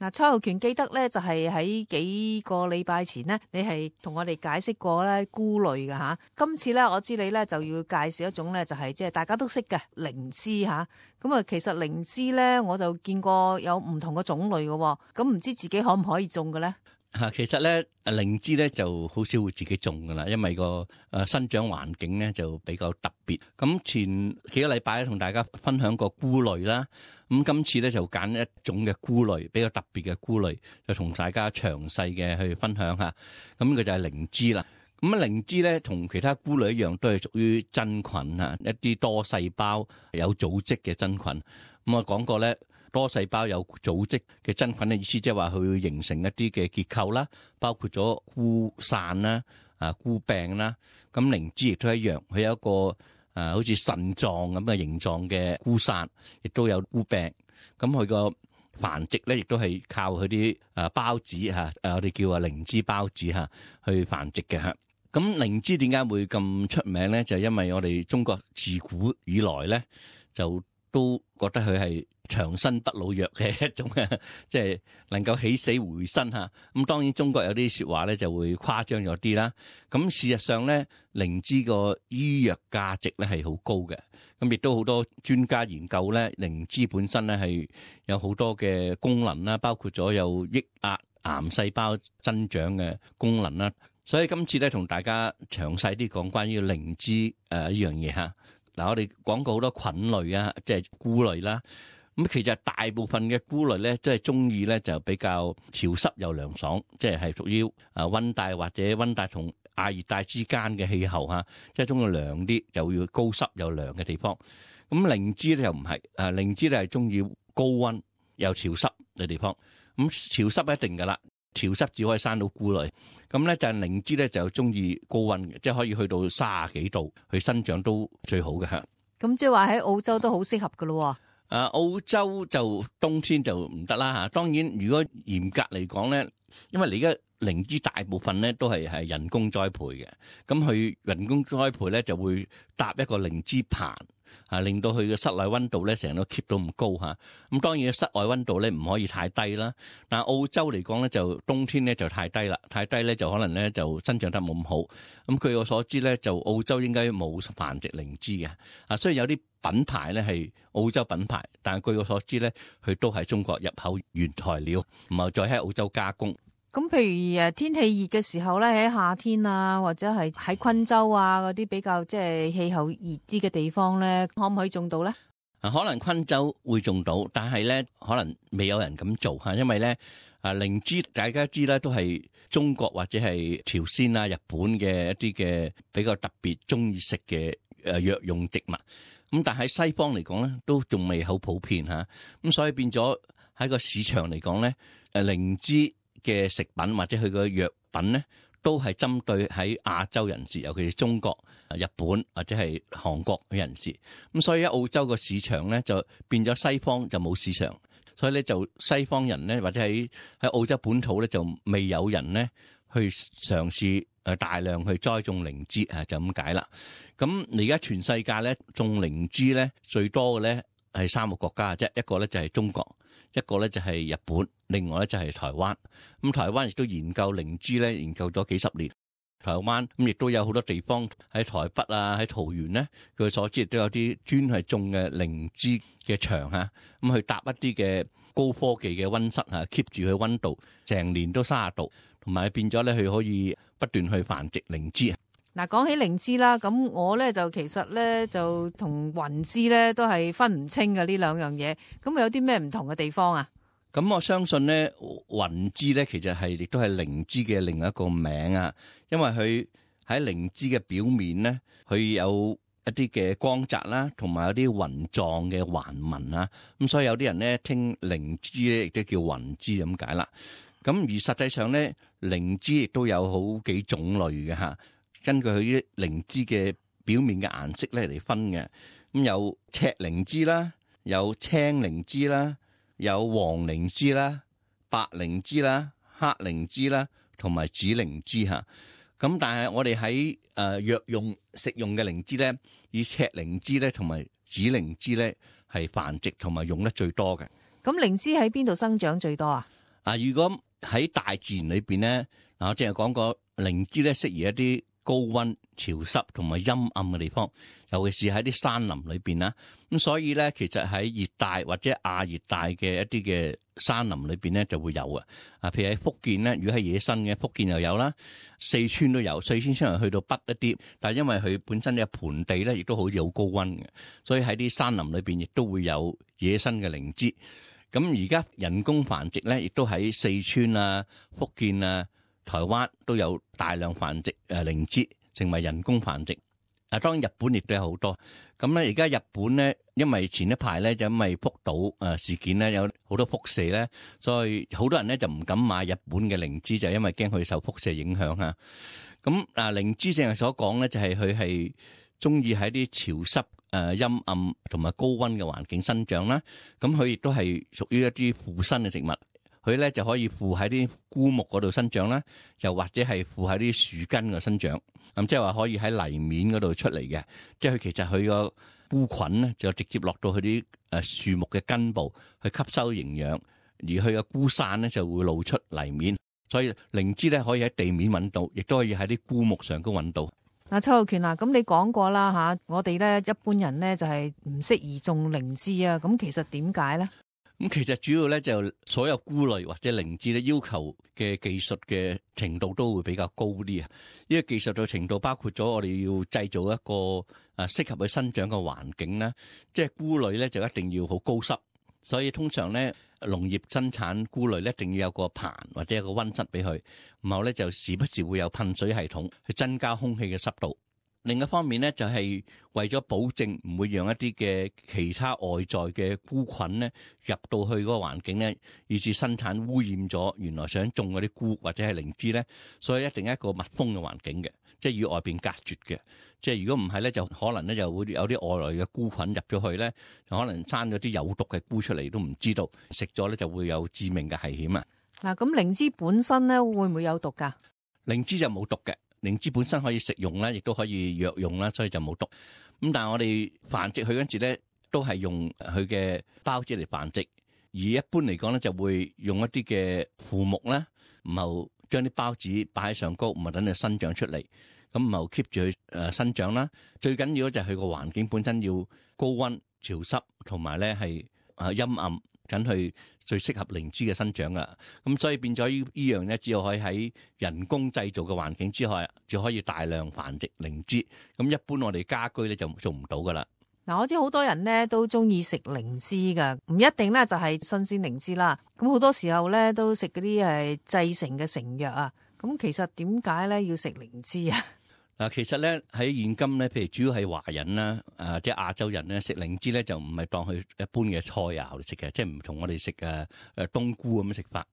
嗱，蔡浩權記得咧，就係喺幾個禮拜前呢，你係同我哋解釋過咧菇類嘅吓。今次咧，我知你咧就要介紹一種咧，就係即係大家都識嘅靈芝吓。咁啊，其實靈芝咧，我就見過有唔同嘅種類嘅，咁唔知自己可唔可以種嘅咧？其實咧，靈芝咧就好少會自己種噶啦，因為個生長環境咧就比較特別。咁前幾個禮拜咧，同大家分享過菇類啦。咁今次咧就揀一種嘅菇類，比較特別嘅菇類，就同大家詳細嘅去分享下。咁呢個就係靈芝啦。咁靈芝咧同其他菇類一樣，都係屬於真菌啊，一啲多細胞有組織嘅真菌。咁我講過咧。多細胞有組織嘅真菌嘅意思，即係話佢會形成一啲嘅結構啦，包括咗菇傘啦、菇柄啦。咁靈芝亦都一樣，佢有一個好似腎臟咁嘅形狀嘅菇傘，亦都有菇柄。咁佢個繁殖咧，亦都係靠佢啲孢子我哋叫靈芝孢子去繁殖嘅嚇。咁靈芝點解會咁出名咧？就係因為我哋中國自古以來咧，就都覺得佢係長生不老藥嘅一種即係能夠起死回生嚇。咁當然中國有啲説話咧就會誇張咗啲啦。咁事實上咧，靈芝個醫藥價值咧係好高嘅。咁亦都好多專家研究咧，靈芝本身咧係有好多嘅功能啦，包括咗有抑壓癌細胞增長嘅功能啦。所以今次咧同大家詳細啲講關於靈芝呢樣嘢嚇。嗱，我哋講過好多菌類啊，即係菇類啦。咁其實大部分嘅菇類咧，即係中意咧就比較潮濕又涼爽，即係屬於溫帶或者溫帶同亞熱帶之間嘅氣候嚇，即係中意涼啲，又要高濕又涼嘅地方。咁靈芝咧又唔係，靈芝咧係中意高溫又潮濕嘅地方。咁潮濕一定噶啦，潮濕只可以生到菇類。咁咧就係靈芝咧就中意高溫嘅，即係可以去到30幾度去生長都最好嘅嚇。咁即係話喺澳洲都好適合噶咯。澳洲就冬天就唔得啦嚇。當然如果嚴格嚟講咧，因為你而家靈芝大部分咧都係人工栽培嘅，咁佢人工栽培咧就會搭一個靈芝棚。令到佢嘅室內溫度咧成日都 keep 到咁高嚇。咁當然室外溫度咧唔可以太低啦。但係澳洲嚟講咧，就冬天咧就太低啦，太低咧就可能咧就生長得冇咁好。咁據我所知咧，就澳洲應該冇繁殖靈芝嘅。雖然有啲品牌咧係澳洲品牌，但係據我所知咧，佢都係中國入口原材料，唔係再喺澳洲加工。咁譬如天氣熱嘅時候咧，喺夏天啊，或者係喺昆州啊嗰啲比較即係氣候熱啲嘅地方咧，可唔可以種到咧？可能昆州會種到，但係咧可能未有人咁做嚇，因為咧靈芝大家知啦，都係中國或者係朝鮮啊、日本嘅一啲嘅比較特別中意食嘅藥用植物。咁但係西方嚟講咧，都仲未好普遍嚇。咁所以變咗喺個市場嚟講咧，靈芝嘅食品或者佢個藥品咧，都係針對喺亞洲人士，尤其是中國、日本或者係韓國嘅人士。咁所以喺澳洲個市場咧，就變咗西方就冇市場，所以咧就西方人咧或者喺澳洲本土咧就未有人咧去嘗試大量去栽種靈芝就咁解啦。咁而家全世界咧種靈芝咧最多嘅咧係3個國家啫，一個咧就係中國，一個咧就係日本，另外咧就係台灣。咁台灣亦都研究靈芝咧，研究咗幾十年。台灣咁亦都有好多地方喺台北啊，喺桃園咧，據所知亦都有啲專係種嘅靈芝嘅場嚇，咁去搭一啲嘅高科技嘅溫室，keep 住佢溫度，成年都30度，同埋變咗咧佢可以不斷去繁殖靈芝。嗱，講起靈芝啦，咁我咧就其實咧就同雲芝咧都係分唔清嘅呢兩樣嘢，咁有啲咩唔同嘅地方啊？咁我相信咧，雲芝咧其實係亦都係靈芝嘅另一個名啊，因為佢喺靈芝嘅表面咧，佢有一啲嘅光澤啦，同埋有啲雲狀嘅環紋啊，咁所以有啲人咧聽靈芝咧亦都叫雲芝咁解啦。咁而實際上咧，靈芝亦都有好幾種類嘅嚇。根據佢啲靈芝嘅表面嘅顏色咧嚟分嘅，咁有赤靈芝啦，有青靈芝啦，有黃靈芝啦、白靈芝啦、黑靈芝啦，同埋紫靈芝嚇。咁但係我哋喺藥用食用嘅靈芝咧，以赤靈芝咧同埋紫靈芝咧係繁殖同埋用得最多嘅。咁靈芝喺邊度生長最多啊？如果喺大自然裏邊咧，我淨係講過靈芝咧適宜一啲高溫、潮濕同埋陰暗嘅地方，尤其是喺啲山林裏邊啦。咁所以咧，其實喺熱帶或者亞熱帶嘅一啲嘅山林裏邊咧就會有嘅。譬如喺福建咧，如果係野生嘅，福建又有啦，四川都有。四川雖然去到北一啲，但係因為佢本身嘅盆地咧，亦都好似好高溫嘅，所以喺啲山林裏邊亦都會有野生嘅靈芝。咁而家人工繁殖咧，亦都喺四川啊、福建啊、台灣都有大量繁殖靈芝，成為人工繁殖。當然日本亦都有好多。咁咧，而家日本咧，因為前一排咧就因為福島事件咧有好多輻射咧，所以好多人咧就唔敢買日本嘅靈芝，就因為驚佢受輻射影響嚇。咁靈芝正係所講咧，就係佢係中意喺啲潮濕、陰暗同埋高溫嘅環境生長啦。咁佢亦都係屬於一啲附生嘅植物，佢咧就可以附喺啲枯木嗰度生長啦，又或者係附喺啲樹根嘅生長。咁即係話可以喺泥面嗰度出嚟嘅，即係佢其實佢個菇菌咧就直接落到佢啲樹木嘅根部去吸收營養，而佢嘅菇傘咧就會露出泥面。所以靈芝咧可以喺地面揾到，亦都可以喺啲枯木上高揾到。邱浩權咁你講過啦吓，我哋咧一般人咧就係唔適宜種靈芝啊。咁其實點解咧？咁其實主要咧就所有菇類或者靈芝咧要求嘅技術嘅程度都會比較高啲啊！呢個技術嘅程度包括咗我哋要製造一個適合佢生長嘅環境啦，即係菇類咧就一定要好高濕，所以通常咧農業生產菇類咧一定要有個棚或者有個溫室俾佢，然後咧就時不時會有噴水系統去增加空氣嘅濕度。另一方面咧，就係為咗保證唔會讓一啲嘅其他外在嘅菇菌咧入到去嗰個環境咧，以致生產污染咗原來想種嗰啲菇或者係靈芝咧，所以一定係一個密封嘅環境嘅，即係與外邊隔絕嘅。即係如果唔係咧，就可能咧就會有啲外來嘅菇菌入咗去咧，就可能生咗啲有毒嘅菇出嚟都唔知道，食咗咧就會有致命嘅危險啊！嗱，咁靈芝本身咧會唔會有毒㗎？靈芝就冇毒嘅。靈芝本身可以食用啦，亦都可以藥用啦，所以就冇毒。咁但係我哋繁殖佢嗰陣時咧，都係用佢嘅孢子嚟繁殖，而一般嚟講咧就會用一啲嘅腐木啦，然後將啲孢子擺喺上高，唔係等佢生長出嚟，咁然後 keep 住佢生長啦。最緊要就係佢個環境本身要高溫、潮濕同埋咧係陰暗，緊去最適合靈芝嘅生長噶。咁所以變咗呢樣咧，只有可以喺人工製造嘅環境之下，就可以大量繁殖靈芝。咁一般我哋家居咧就做唔到噶啦。嗱，我知好多人咧都中意食靈芝噶，唔一定咧就係新鮮靈芝啦。咁好多時候咧都食嗰啲係製成嘅成藥啊。咁其實點解咧要食靈芝啊？嗱，其實咧喺現今咧，譬如主要係華人啦，即係亞洲人咧，食靈芝咧就唔係當佢一般嘅菜肴嚟食嘅，即係唔同我哋食冬菇咁樣食法。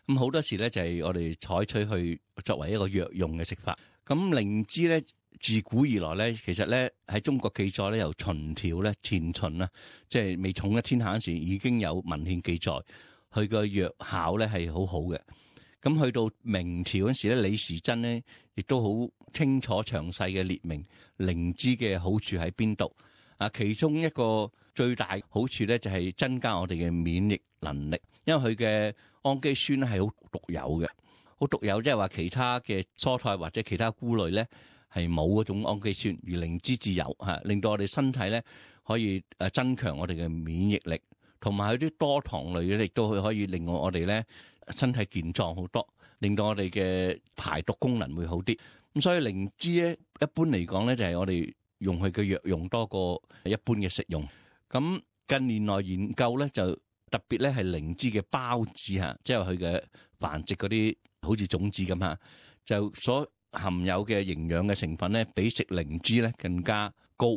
咁好多時咧就係我哋採取去作為一個藥用嘅食法。咁靈芝咧自古以來咧，其實咧喺中國記載咧，由秦朝咧前秦啦，即係未統一天下嗰時已經有文獻記載，佢個藥效咧係好好嘅。咁去到明朝嗰時咧，李時珍咧亦都好清楚詳細嘅列明靈芝嘅好處喺邊度。其中一個最大好處咧就係增加我哋嘅免疫能力，因為佢嘅氨基酸咧係好獨有嘅，好獨有，即係話其他嘅蔬菜或者其他菇類咧係冇嗰種氨基酸，而靈芝自有令到我哋身體咧可以增強我哋嘅免疫力，同埋佢啲多糖類咧亦都可以令我哋咧身體健壯好多，令到我哋嘅排毒功能會好啲。咁所以靈芝咧一般嚟講咧就係我哋用佢嘅藥用多過一般嘅食用。咁近年來研究咧就特別咧係靈芝嘅孢子即係佢嘅繁殖嗰啲好似種子咁就所含有嘅營養嘅成分咧比食靈芝咧更加高。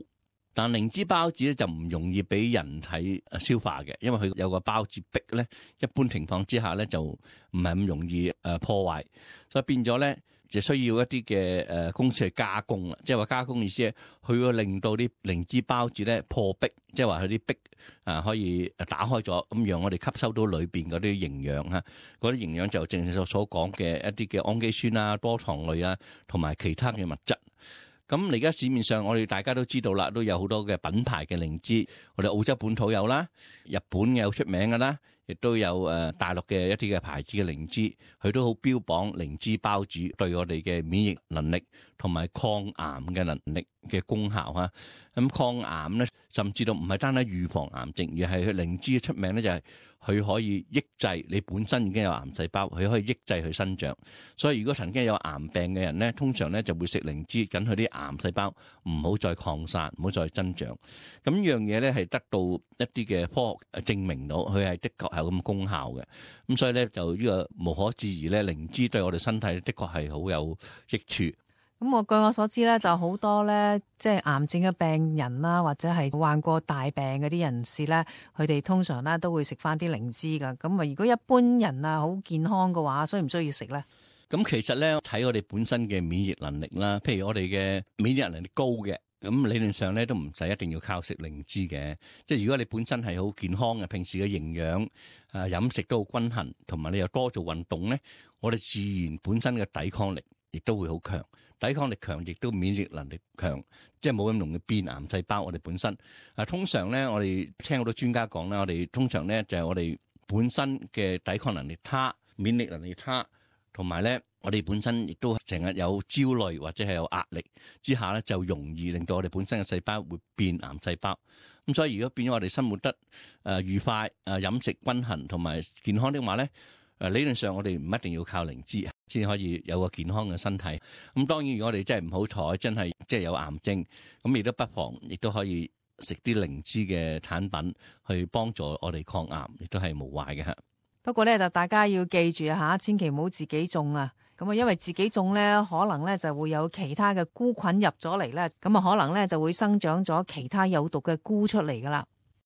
但靈芝孢子咧就唔容易俾人體消化嘅，因為佢有個孢子壁咧，一般情況之下咧就唔係咁容易破壞，所以變咗咧就需要一啲嘅公司去加工啦。即係話加工意思係佢會令到啲靈芝孢子咧破壁，即係話佢啲壁可以打開咗，咁讓我哋吸收到裏邊嗰啲營養嗰啲營養就正如所講嘅一啲嘅氨基酸啊、多糖類啊，同埋其他嘅物質。咁而家市面上我哋大家都知道啦，都有好多嘅品牌嘅靈芝，我哋澳洲本土有啦，日本嘅好出名噶啦，亦都有大陸嘅一啲嘅牌子嘅靈芝，佢都好標榜靈芝孢子對我哋嘅免疫能力同埋抗癌嘅能力嘅功效嚇。咁抗癌咧，甚至到唔係單單預防癌症，而係佢靈芝出名咧就係佢可以抑制你本身已經有癌細胞，佢可以抑制佢生長。所以如果曾經有癌病嘅人咧，通常咧就會食靈芝，緊佢啲癌細胞唔好再擴散，唔好再增長。咁呢樣嘢咧係得到一啲嘅科學證明到，佢係的確係有咁功效嘅。咁所以咧就呢個無可置疑咧，靈芝對我哋身體的確係好有益處。咁據我所知咧，就好多咧，即係癌症嘅病人啦，或者係患過大病嗰啲人士咧，佢哋通常咧都會食翻啲靈芝噶。咁啊，如果一般人啊好健康嘅話，需唔需要食咧？咁其實咧睇我哋本身嘅免疫能力啦，譬如我哋嘅免疫能力高嘅，咁理論上咧都唔使一定要靠食靈芝嘅。即係如果你本身係好健康嘅，平時嘅營養飲食都好均衡，同埋你又多做運動咧，我哋自然本身嘅抵抗力亦都會好強。抵抗力強，亦都免疫能力強，即係冇咁容易變癌細胞。我哋本身通常咧，我哋聽好多專家講啦，我哋通常咧就係我哋本身嘅抵抗能力差、免疫能力差，同埋咧我哋本身亦都成日有焦慮或者係有壓力之下咧，就容易令到我哋本身嘅細胞會變癌細胞。咁所以如果變咗我哋生活得愉快、飲食均衡同埋健康的話咧，理論上我哋唔一定要靠靈芝先可以有個健康嘅身體。咁當然如果我哋真係唔好彩，真係即係有癌症，咁亦都不妨亦都可以食啲靈芝嘅產品去幫助我哋抗癌，亦都係無壞嘅。不過咧就大家要記住吓，千祈唔好自己種啊。咁啊，因為自己種咧，可能咧就會有其他嘅菇菌入咗嚟咧，咁啊可能咧就會生長咗其他有毒嘅菇出嚟噶啦。